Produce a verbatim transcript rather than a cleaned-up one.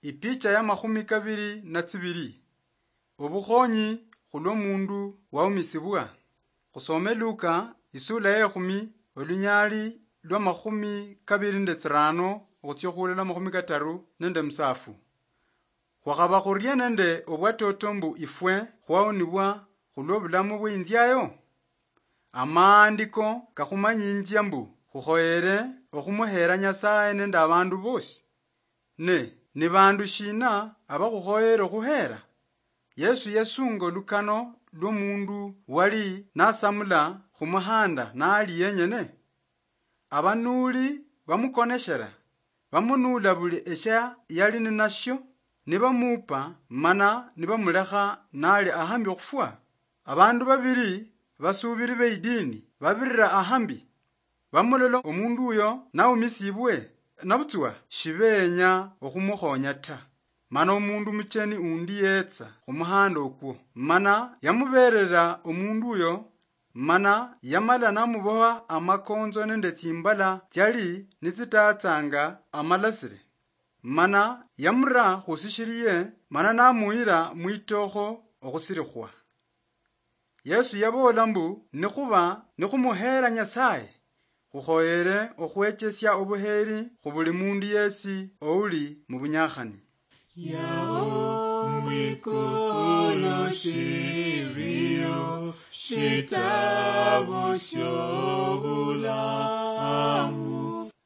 Ipicha ya makhumi kabiri na tsibiri. Obukhonyi khulwo mundu waumisibwa. Khusome Luka, isula ya ekhumi, olunyali lwa makhumi kabiri nende tsirano, okhutsia khulala makhumi kataru nende musafu. Khwakhaba khurie nende obwatoto mbu ifwe khwaonibwa khulwo bulamu bweinziayo? Amaandiko kakhumanyinjia mbu khukhoyere okhumuheera Nyasaye nende abandu bosi. Ne, ni bandu shina abakhukhoyere okhuheera? Yesu yasunga olukano lw'omundu wali nasamula khumuhanda nali yenyene. Abanuuli bamukoneshera, bamunuula buli eshia yali ninashio, nibamuupa mana nibamulekha nali ahambi okhufwa. Abandu babiri basuubiri beidini babirira ahambi, bamulola omundu uyo naumisibwe, nabutswa shibeenya okhumukhonya ta. Mana omundu mucheni undi yetsa khumuhanda okwo, mana yamuberera omundu uyo, mana yamala namuboha amakonzo nende tsimbala tsiali nitsitatsanga amalasire, mana yamura khusishiriye, mana namuyira mwitokho okhusirikhwa. Yesu yaboola mbu, nikhuba nikhumuheera Nyasaye, khukhoyere okhwechesia obuheeri khu buli mundu yesi ouli mu bunyakhani. Yao mwikulu shiriyo shitabo shobulamu.